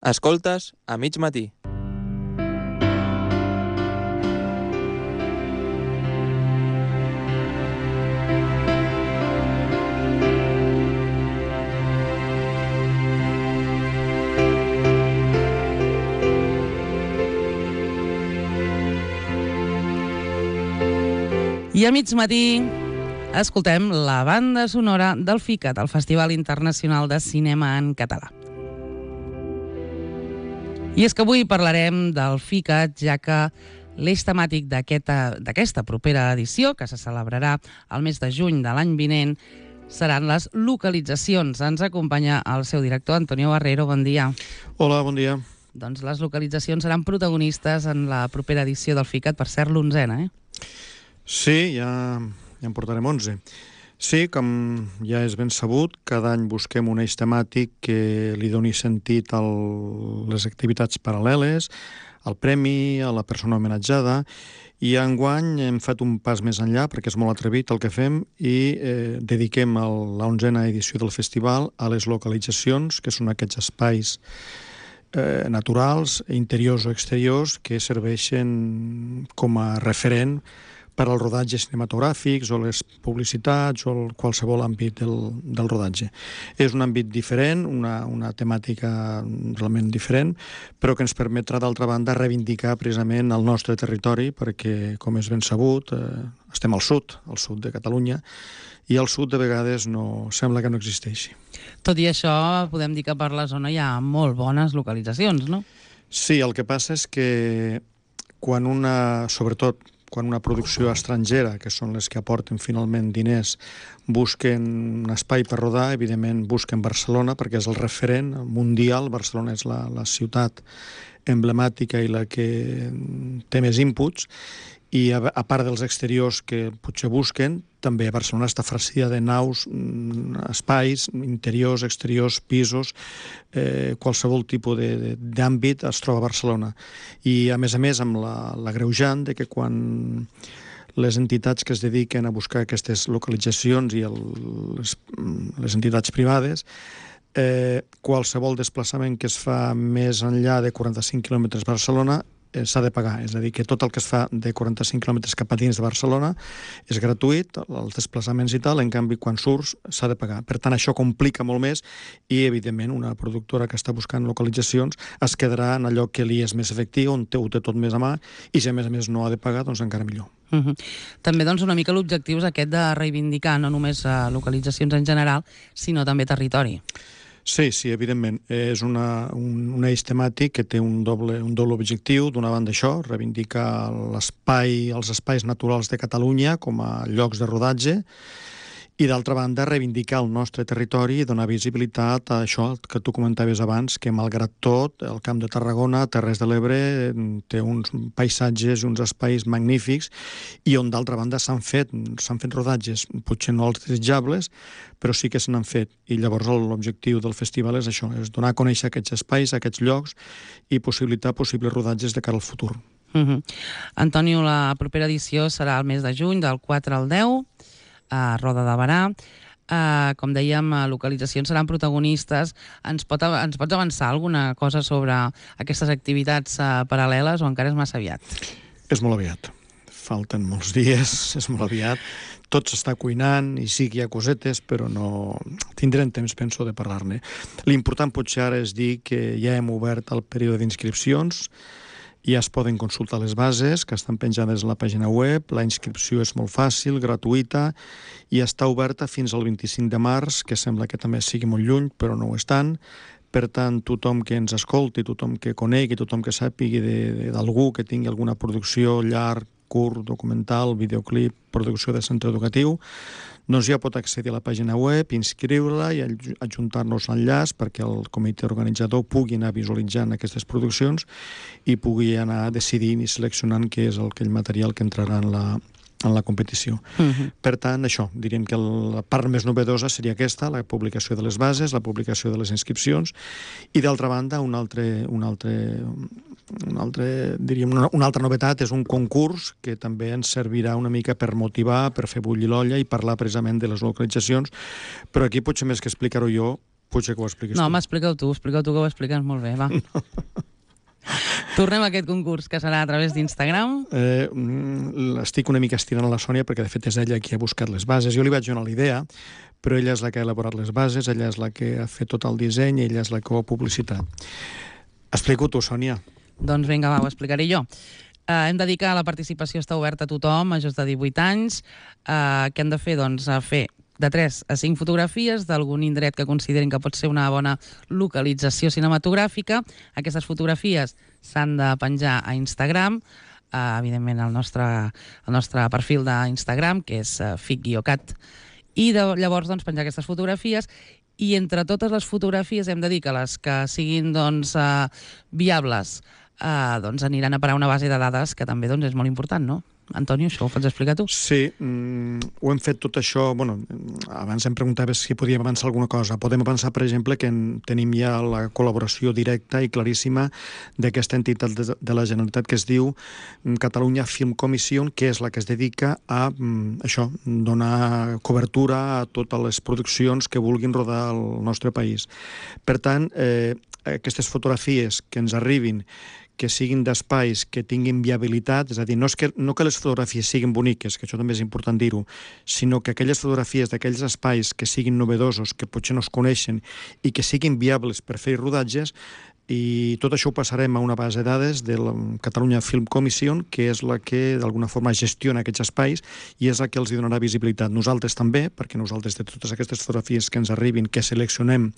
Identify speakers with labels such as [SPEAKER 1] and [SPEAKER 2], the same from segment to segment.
[SPEAKER 1] Escoltes a mig matí.
[SPEAKER 2] I a mig matí escoltem la banda sonora del FICAT, el Festival Internacional de Cinema en Català. I és que avui parlarem del FICAT, ja que l'eix temàtic d'aquesta propera edició, que se celebrarà el mes de juny de l'any vinent, seran les localitzacions. Ens acompanya el seu director, Antonio Barrero. Bon dia.
[SPEAKER 3] Hola, bon dia.
[SPEAKER 2] Doncs les localitzacions seran protagonistes en la propera edició del FICAT, per cert, l'11a,
[SPEAKER 3] Sí, ja en portarem 11. Sí, com ja és ben sabut, cada any busquem un eix temàtic que li doni sentit a les activitats paral·leles, al premi, a la persona homenatjada, i enguany hem fet un pas més enllà, perquè és molt atrevit el que fem, i dediquem la 11a edició del festival a les localitzacions, que són aquests espais naturals, interiors o exteriors, que serveixen com a referent per als rodatges cinematogràfics o les publicitats o qualsevol àmbit del rodatge. És un àmbit diferent, una temàtica realment diferent, però que ens permetrà, d'altra banda, reivindicar precisament el nostre territori, perquè, com és ben sabut, estem al sud de Catalunya, i al sud de vegades sembla que no existeixi.
[SPEAKER 2] Tot i això, podem dir que per la zona hi ha molt bones localitzacions, no?
[SPEAKER 3] Sí, el que passa és que sobretot quan una producció estrangera, que són les que aporten finalment diners, busquen un espai per rodar, evidentment busquen Barcelona, perquè és el referent mundial. Barcelona és la ciutat emblemàtica i la que té més inputs, i a part dels exteriors que potser busquen, també Barcelona està farcida de naus, espais, interiors, exteriors, pisos, qualsevol tipus d'àmbit es troba a Barcelona. I a més, amb l'agreujant de que quan les entitats que es dediquen a buscar aquestes localitzacions i les entitats privades, qualsevol desplaçament que es fa més enllà de 45 quilòmetres a Barcelona s'ha de pagar, és a dir, que tot el que es fa de 45 quilòmetres cap a dins de Barcelona és gratuït, els desplaçaments i tal, en canvi quan surts s'ha de pagar. Per tant, això complica molt més i, evidentment, una productora que està buscant localitzacions es quedarà en allò que li és més efectiu, on ho té tot més a mà, i si a més no ha de pagar, doncs encara millor.
[SPEAKER 2] També una mica l'objectiu és aquest de reivindicar no només localitzacions en general, sinó també territori.
[SPEAKER 3] Sí, evidentment. És un eix temàtic que té un doble objectiu. D'una banda, això, reivindicar els espais naturals de Catalunya com a llocs de rodatge, i d'altra banda, reivindicar el nostre territori i donar visibilitat a això que tu comentaves abans, que malgrat tot, el Camp de Tarragona, Terres de l'Ebre, té uns paisatges i uns espais magnífics, i on d'altra banda s'han fet rodatges, potser no els desitjables, però sí que se n'han fet. I llavors l'objectiu del festival és això, és donar a conèixer aquests espais, aquests llocs, i possibilitar possibles rodatges de cara al futur.
[SPEAKER 2] Antonio, la propera edició serà el mes de juny, del 4 al 10, a Roda de Berà. Com dèiem, localitzacions seran protagonistes. Ens pots avançar alguna cosa sobre aquestes activitats paral·leles o encara és massa aviat?
[SPEAKER 3] És molt aviat. Falten molts dies, és molt aviat. Tot s'està cuinant i sí que hi ha cosetes, però no tindrem temps, penso, de parlar-ne. L'important potser ara és dir que ja hem obert el període d'inscripcions. Ja es poden consultar les bases, que estan penjades a la pàgina web. La inscripció és molt fàcil, gratuïta, i està oberta fins al 25 de març, que sembla que també sigui molt lluny, però no ho és tant. Per tant, tothom que ens escolti, tothom que conegui, tothom que sàpigui d'algú que tingui alguna producció llarg, curt, documental, videoclip, producció de centre educatiu, doncs ja pot accedir a la pàgina web, inscriure-la i adjuntar-nos l'enllaç perquè el comitè organitzador pugui anar visualitzant aquestes produccions i pugui anar decidint i seleccionant què és aquell material que entrarà en la competició. Per tant, això, diríem que la part més novedosa seria aquesta, la publicació de les bases, la publicació de les inscripcions, i d'altra banda, una altra novetat és un concurs que també ens servirà una mica per motivar, per fer bullir l'olla i parlar precisament de les localitzacions, però aquí potser més que explicar-ho jo, Potser que ho expliquis
[SPEAKER 2] No,
[SPEAKER 3] tu.
[SPEAKER 2] home, explica-ho tu, que ho expliques molt bé, va. Tornem a aquest concurs, que serà a través d'Instagram.
[SPEAKER 3] Estic una mica estirant la Sònia perquè de fet és ella qui ha buscat les bases. Jo li vaig donar la idea, però ella és la que ha elaborat les bases, ella és la que ha fet tot el disseny i ella és la que ho ha publicitat. Explico tu, Sònia.
[SPEAKER 2] Doncs vinga, va, ho explicaré jo. Hem de dir que la participació està oberta a tothom, majors de 18 anys. Què hem de fer? Doncs fer de 3 a 5 fotografies d'algun indret que considerin que pot ser una bona localització cinematogràfica. Aquestes fotografies s'han de penjar a Instagram, evidentment al nostre perfil d'Instagram, que és fic-cat, i llavors doncs, penjar aquestes fotografies. I entre totes les fotografies hem de dir que les que siguin viables doncs aniran a parar una base de dades que també doncs, és molt important, no? Antonio, això ho pots explicar tu?
[SPEAKER 3] Sí, ho hem fet tot això. Bueno, abans em preguntaves si podíem avançar alguna cosa. Podem avançar, per exemple, que tenim ja la col·laboració directa i claríssima d'aquesta entitat de la Generalitat que es diu Catalunya Film Commission, que és la que es dedica a això, donar cobertura a totes les produccions que vulguin rodar al nostre país. Per tant, aquestes fotografies que ens arribin, que siguin d'espais que tinguin viabilitat, és a dir, no que les fotografies siguin boniques, que això també és important dir-ho, sinó que aquelles fotografies d'aquells espais que siguin novedosos, que potser no es coneixen i que siguin viables per fer rodatges, i tot això ho passarem a una base de dades de la Catalunya Film Commission, que és la que d'alguna forma gestiona aquests espais i és la que els donarà visibilitat. Nosaltres també, perquè nosaltres de totes aquestes fotografies que ens arribin, que seleccionem,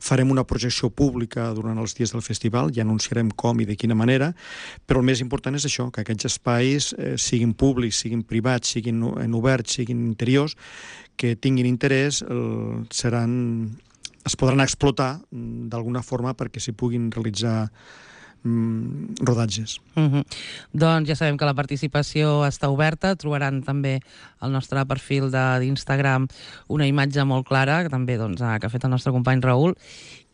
[SPEAKER 3] farem una projecció pública durant els dies del festival, i anunciarem com i de quina manera, però el més important és això, que aquests espais siguin públics, siguin privats, siguin oberts, siguin interiors, que tinguin interès, es podran explotar d'alguna forma perquè s'hi puguin realitzar rodatges.
[SPEAKER 2] Doncs ja sabem que la participació està oberta, trobaran també al nostre perfil d'Instagram una imatge molt clara, que també que ha fet el nostre company Raül,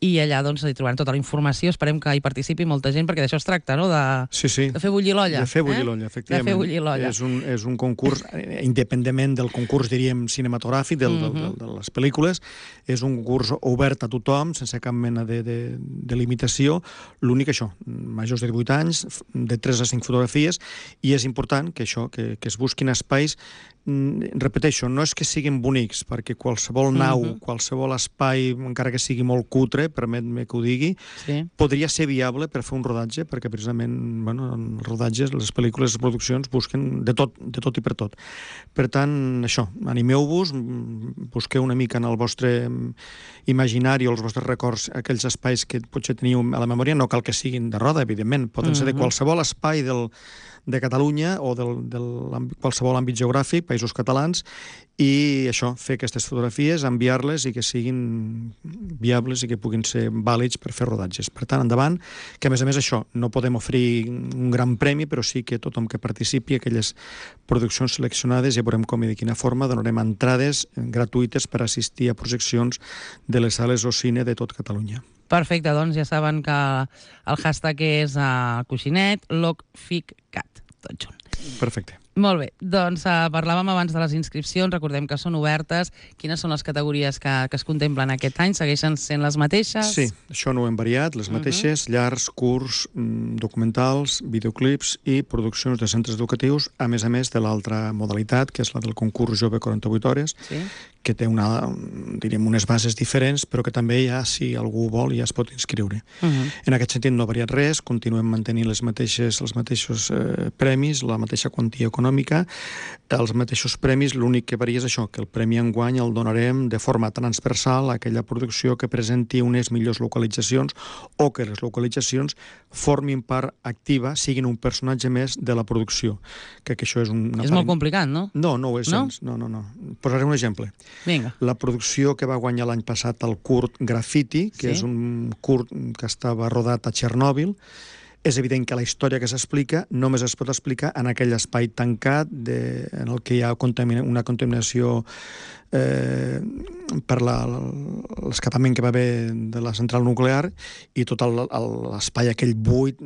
[SPEAKER 2] i allà hi trobaran tota la informació. Esperem que hi participi molta gent, perquè d'això es tracta, no?
[SPEAKER 3] Sí.
[SPEAKER 2] De fer bullir l'olla.
[SPEAKER 3] De fer bullir l'olla, efectivament.
[SPEAKER 2] De fer bullir l'olla.
[SPEAKER 3] És un concurs, independentment del concurs, diríem, cinematogràfic, de les pel·lícules, és un concurs obert a tothom, sense cap mena de limitació. L'únic això, majors de 18 anys, de 3 a 5 fotografies, i és important que això, que es busquin espais. Repeteixo, no és que siguin bonics, perquè qualsevol nau, qualsevol espai, encara que sigui molt cutre, permet-me que ho digui, podria ser viable per fer un rodatge, perquè precisament els rodatges, les pel·lícules, les produccions busquen de tot i per tot. Per tant, això, animeu-vos, busqueu una mica en el vostre imaginari o els vostres records aquells espais que potser teniu a la memòria, no cal que siguin de Roda, evidentment, poden ser de qualsevol espai de Catalunya o de qualsevol àmbit geogràfic, països catalans, i això, fer aquestes fotografies, enviar-les i que siguin viables i que puguin ser vàlids per fer rodatges. Per tant, endavant, que a més això, no podem oferir un gran premi, però sí que tothom que participi, aquelles produccions seleccionades, ja veurem com i de quina forma, donarem entrades gratuïtes per assistir a projeccions de les sales o cine de tot Catalunya.
[SPEAKER 2] Perfecte, doncs ja saben que el hashtag és coixinet, locficcat, tot junt.
[SPEAKER 3] Perfecte.
[SPEAKER 2] Molt bé, doncs parlàvem abans de les inscripcions, recordem que són obertes. Quines són les categories que es contemplen aquest any? Segueixen sent les mateixes?
[SPEAKER 3] Sí, això no ho hem variat, les mateixes, llargs, curts, documentals, videoclips i produccions de centres educatius, a més de l'altra modalitat, que és la del concurs Jove 48 hores, que té unes bases diferents, però que també ja, si algú vol, ja es pot inscriure. En aquest sentit no ha variat res, continuem mantenint els mateixos premis, la mateixa quantia econòmica, els mateixos premis, l'únic que varia és això, que el premi enguany el donarem de forma transversal a aquella producció que presenti unes millors localitzacions o que les localitzacions formin part activa, siguin un personatge més de la producció. Que això és
[SPEAKER 2] És molt complicat, no?
[SPEAKER 3] No ho és gens. No. Posaré un exemple.
[SPEAKER 2] Vinga.
[SPEAKER 3] La producció que va guanyar l'any passat el curt Graffiti, que és un curt que estava rodat a Txernòbil, és evident que la història que s'explica només es pot explicar en aquell espai tancat en el que hi ha una contaminació per l'escapament que va haver de la central nuclear i tot l'espai aquell buit,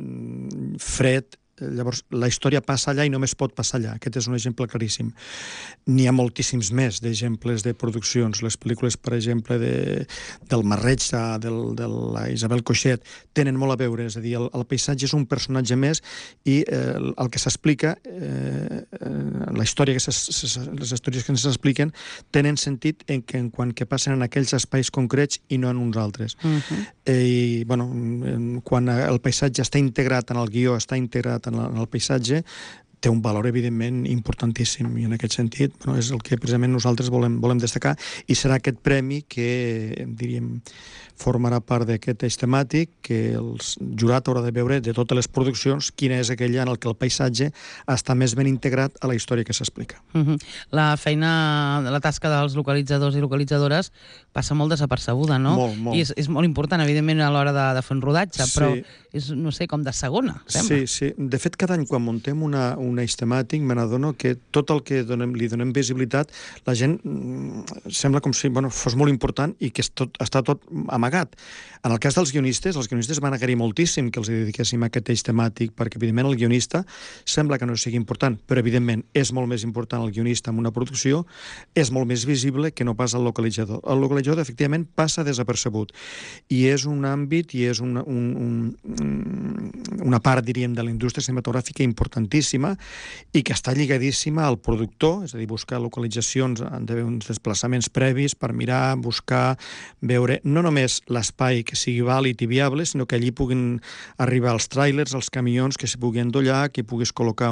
[SPEAKER 3] fred llavors la història passa allà i només pot passar allà. Aquest és un exemple claríssim. N'hi ha moltíssims més d'exemples de produccions. Les pel·lícules, per exemple, del Marreig, de la Isabel Coixet, tenen molt a veure, és a dir, el paisatge és un personatge més i el que s'explica, les històries que ens expliquen tenen sentit en quant que passen en aquells espais concrets i no en uns altres. I, bueno, quan el paisatge està integrat en el guió, està integrat en el paisatge, té un valor, evidentment, importantíssim, i en aquest sentit és el que precisament nosaltres volem destacar, i serà aquest premi que, diríem, formarà part d'aquest eix temàtic, que el jurat haurà de veure de totes les produccions quina és aquella en el que el paisatge està més ben integrat a la història que s'explica.
[SPEAKER 2] La feina, la tasca dels localitzadors i localitzadores passa molt desapercebuda, no?
[SPEAKER 3] Molt.
[SPEAKER 2] I és molt important, evidentment, a l'hora de fer un rodatge, però és, no sé, com de segona, sembla.
[SPEAKER 3] Sí. De fet, cada any, quan muntem un eix temàtic, me n'adono que tot el que li donem visibilitat, la gent sembla com si fos molt important i que està tot amagat. En el cas dels guionistes van agrair moltíssim que els dediquéssim a aquest eix temàtic, perquè, evidentment, el guionista sembla que no sigui important, però, evidentment, és molt més important el guionista en una producció, és molt més visible que no pas el localitzador. El localitzador, efectivament, passa desapercebut. I és un àmbit i és una part, diríem, de la indústria cinematogràfica importantíssima i que està lligadíssima al productor, és a dir, buscar localitzacions, han d'haver uns desplaçaments previs per mirar, buscar, veure, no només l'espai que sigui vàlid i viable, sinó que allí puguin arribar els tràilers, els camions, que s'hi puguin endollar, que puguis col·locar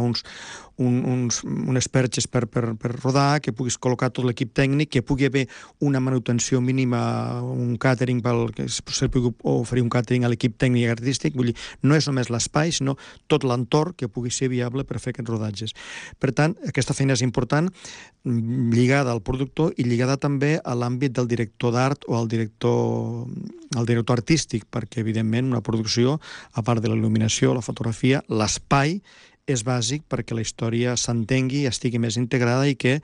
[SPEAKER 3] unes perxes per rodar, que puguis col·locar tot l'equip tècnic, que pugui haver una manutenció mínima, un càtering, que se pugui oferir un càtering a l'equip tècnic i artístic. Vull dir, no és només l'espai, sinó tot l'entorn que pugui ser viable per fer aquests rodatges. Per tant, aquesta feina és important, lligada al productor i lligada també a l'àmbit del director d'art o al director artístic, perquè, evidentment, una producció, a part de la il·luminació, la fotografia, l'espai és bàsic perquè la història s'entengui, estigui més integrada i que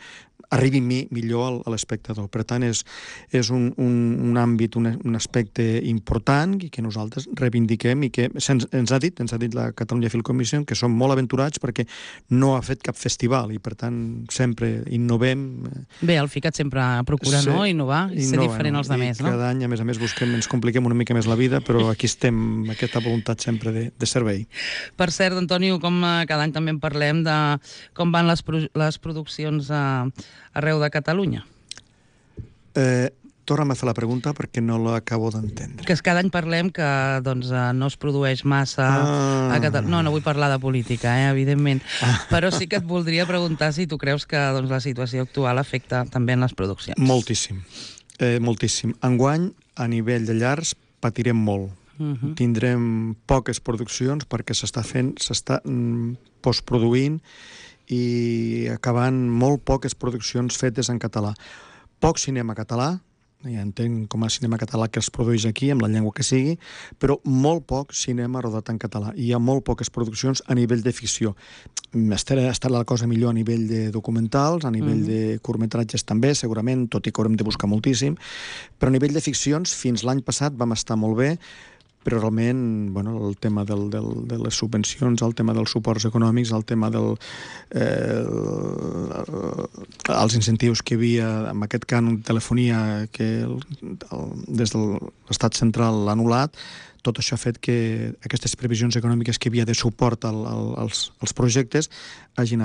[SPEAKER 3] arribi millor a l'espectador. Per tant, és un àmbit, un aspecte important i que nosaltres reivindiquem i que ens ha dit la Catalunya Film Commission que som molt aventurats perquè no ha fet cap festival i, per tant, sempre innovem.
[SPEAKER 2] Bé, el FICAT sempre procura innovar i ser diferent als altres, no?
[SPEAKER 3] Cada any, a més ens compliquem una mica més la vida, però aquí estem, aquesta voluntat sempre de servei.
[SPEAKER 2] Per cert, Antonio, com cada any també en parlem de com van les produccions arreu de Catalunya.
[SPEAKER 3] Torna'm a fer la pregunta perquè no l'acabo d'entendre.
[SPEAKER 2] Que cada any parlem que no es produeix massa a Catalunya. No vull parlar de política, evidentment. Però sí que et voldria preguntar si tu creus que la situació actual afecta també en les produccions.
[SPEAKER 3] Moltíssim. Enguany, a nivell de llars, patirem molt. Tindrem poques produccions perquè s'està postproduint i acabant molt poques produccions fetes en català. Poc cinema català, ja entenc com a cinema català que es produeix aquí, amb la llengua que sigui, però molt poc cinema rodat en català. Hi ha molt poques produccions a nivell de ficció. Estarà la cosa millor a nivell de documentals, a nivell de curtmetratges també, segurament, tot i que haurem de buscar moltíssim, però a nivell de ficcions, fins l'any passat vam estar molt bé, però realment el tema de les subvencions, el tema dels suports econòmics, el tema dels incentius que hi havia amb aquest cànon de telefonia que des de l'Estat central l'ha anul·lat, tot això ha fet que aquestes previsions econòmiques que hi havia de suport als projectes hagi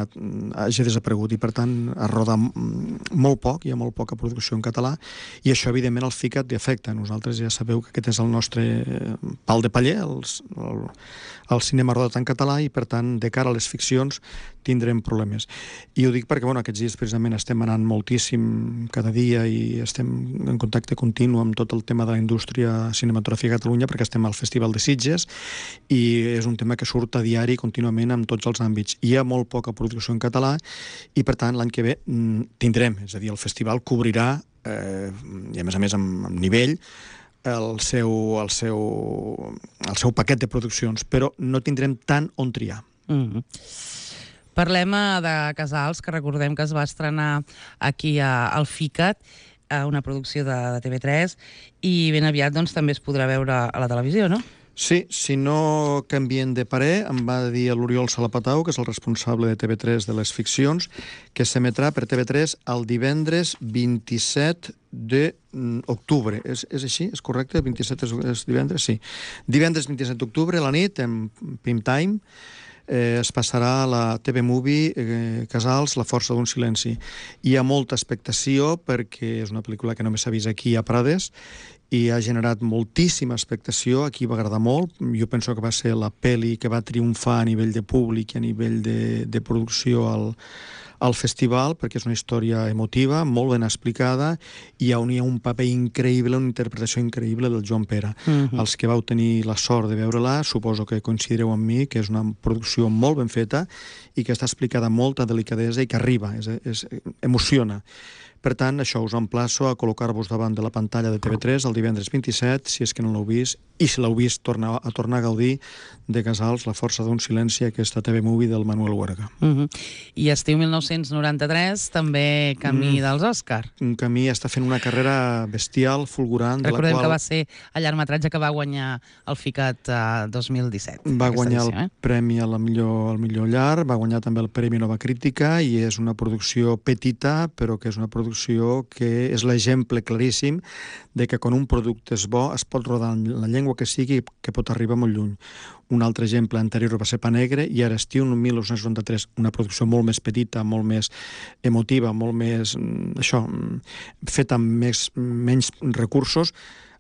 [SPEAKER 3] desaparegut i, per tant, es roda molt poc, hi ha molt poca producció en català i això, evidentment, el FICAT li afecta. Nosaltres ja sabeu que aquest és el nostre pal de paller, el cinema rodat en català i, per tant, de cara a les ficcions tindrem problemes. I ho dic perquè aquests dies precisament estem anant moltíssim cada dia i estem en contacte continu amb tot el tema de la indústria cinematogràfica a Catalunya perquè estem al Festival de Sitges i és un tema que surt a diari contínuament en tots els àmbits. Hi ha molt poca producció en català i, per tant, l'any que ve tindrem, és a dir, el festival cobrirà, i a més amb nivell, el seu paquet de produccions, però no tindrem tant on triar.
[SPEAKER 2] Parlem de Casals, que recordem que es va estrenar aquí al FICAT, una producció de TV3, i ben aviat també es podrà veure a la televisió, no?
[SPEAKER 3] Sí, si no canvien de parer, em va dir l'Oriol Salapatau, que és el responsable de TV3 de les ficcions, que s'emetrà per TV3 el divendres 27 d'octubre. És així? És correcte? 27 és divendres? Sí. Divendres 27 d'octubre, a la nit, en prime time, es passarà a la TV Movie Casals, La força d'un silenci. Hi ha molta expectació perquè és una pel·lícula que només s'ha vist aquí a Prades i ha generat moltíssima expectació. Aquí va agradar molt. Jo penso que va ser la pel·li que va triomfar a nivell de públic i a nivell de producció al festival, perquè és una història emotiva, molt ben explicada, i on hi ha un paper increïble, una interpretació increïble del Joan Pera. Els que vau tenir la sort de veure-la, suposo que coincidireu amb mi, que és una producció molt ben feta i que està explicada amb molta delicadesa i que arriba, emociona. Per tant, això, us emplaço a col·locar-vos davant de la pantalla de TV3 el divendres 27, si és que no l'heu vist, i si l'heu vist, tornar a gaudir de Casals, La força d'un silenci, aquesta TV Movie del Manuel Huerga.
[SPEAKER 2] I estiu 1993, també camí dels Òscar.
[SPEAKER 3] Un camí està fent una carrera bestial, fulgurant, de la qual...
[SPEAKER 2] Recordem que va ser el llargmetratge que va guanyar el FICAT 2017.
[SPEAKER 3] Va guanyar el premi al millor llarg, va guanyar també el Premi Nova Crítica, i és una producció petita, però que és una producció que és l'exemple claríssim de que quan un producte és bo es pot rodar en la llengua que sigui, que pot arribar molt lluny. Un altre exemple anterior va ser Pa Negre, i ara estiu 1993, una producció molt més petita, molt més emotiva, molt més, feta amb menys recursos,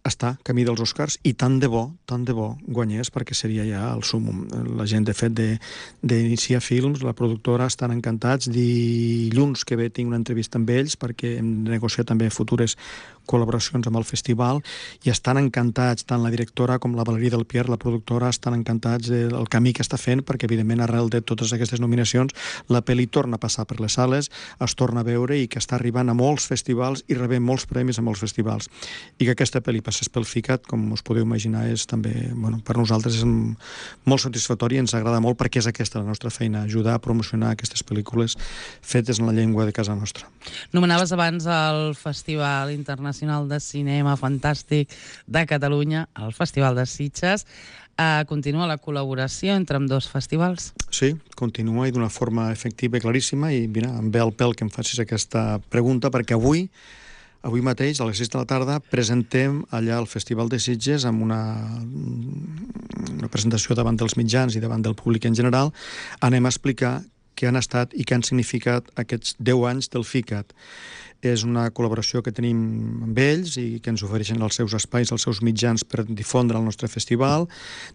[SPEAKER 3] està camí dels Oscars, i tant de bo guanyés, perquè seria ja el súmmum. La gent, de fet, d'Inicia Films, la productora, estan encantats. Dilluns que ve tinc una entrevista amb ells, perquè hem negociat també futures col·laboracions amb el festival, i estan encantats, tant la directora com la Valerie Del Pierre, la productora, estan encantats del camí que està fent, perquè evidentment arrel de totes aquestes nominacions la pel·li torna a passar per les sales, es torna a veure, i que està arribant a molts festivals i rebent molts premis a molts festivals. I que aquesta pel·li passés pel FICAT, com us podeu imaginar, és també, per nosaltres és molt satisfactori, i ens agrada molt, perquè és aquesta la nostra feina, ajudar a promocionar aquestes pel·lícules fetes en la llengua de casa nostra.
[SPEAKER 2] Nomenaves abans el Festival Internacional de Cinema Fantàstic de Catalunya, el Festival de Sitges. Continua la col·laboració entre ambdós festivals?
[SPEAKER 3] Sí, continua, i d'una forma efectiva i claríssima, i mira, em ve el pèl que em facis aquesta pregunta, perquè avui mateix, a les 6 de la tarda, presentem allà al Festival de Sitges amb una presentació davant dels mitjans i davant del públic en general. Anem a explicar què han estat i què han significat aquests 10 anys del FICAT. És una col·laboració que tenim amb ells i que ens ofereixen els seus espais, els seus mitjans per difondre el nostre festival.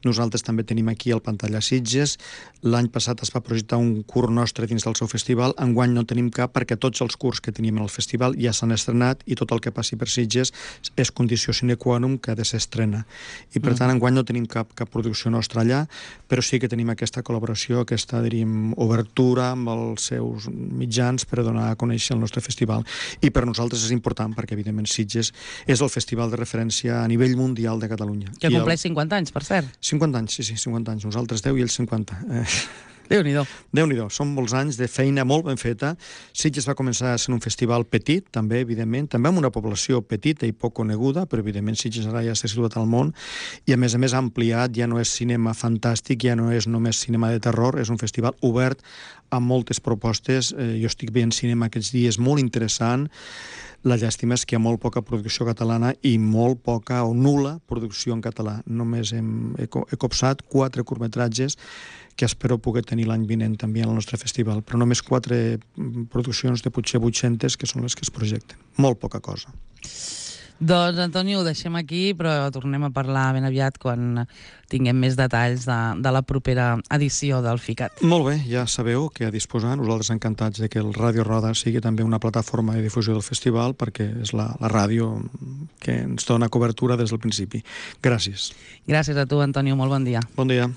[SPEAKER 3] Nosaltres també tenim aquí el Pantalla Sitges. L'any passat es va projectar un curt nostre dins del seu festival. Enguany no tenim cap, perquè tots els curts que teníem en el festival ja s'han estrenat, i tot el que passi per Sitges és condició sine qua non que ha de ser estrena. I per tant, enguany no tenim cap producció nostra allà, però sí que tenim aquesta col·laboració, aquesta, diríem, obertura amb els seus mitjans per donar a conèixer el nostre festival. I per nosaltres és important, perquè evidentment Sitges és el festival de referència a nivell mundial de Catalunya.
[SPEAKER 2] Que compleix 50 anys, per cert.
[SPEAKER 3] 50 anys, sí, 50 anys. Nosaltres 10 i ells 50.
[SPEAKER 2] Déu-n'hi-do.
[SPEAKER 3] Déu-n'hi-do, són molts anys de feina molt ben feta. Sitges va començar sent un festival petit, també, evidentment, també amb una població petita i poc coneguda, però evidentment Sitges ara ja s'ha situat al món, i a més ha ampliat, ja no és cinema fantàstic, ja no és només cinema de terror, és un festival obert amb moltes propostes. Jo estic veient cinema aquests dies molt interessant. La llàstima és que hi ha molt poca producció catalana i molt poca o nul·la producció en català. Només he copsat 4 curtmetratges que espero poder tenir l'any vinent també al nostre festival, però només 4 produccions de potser 800 que són les que es projecten. Molt poca cosa.
[SPEAKER 2] Doncs, Antonio, ho deixem aquí, però tornem a parlar ben aviat quan tinguem més detalls de la propera edició del FICAT.
[SPEAKER 3] Molt bé, ja sabeu que a disposar, nosaltres encantats de que el Ràdio Roda sigui també una plataforma de difusió del festival, perquè és la ràdio que ens dona cobertura des del principi. Gràcies.
[SPEAKER 2] Gràcies a tu, Antonio, molt bon dia.
[SPEAKER 3] Bon dia.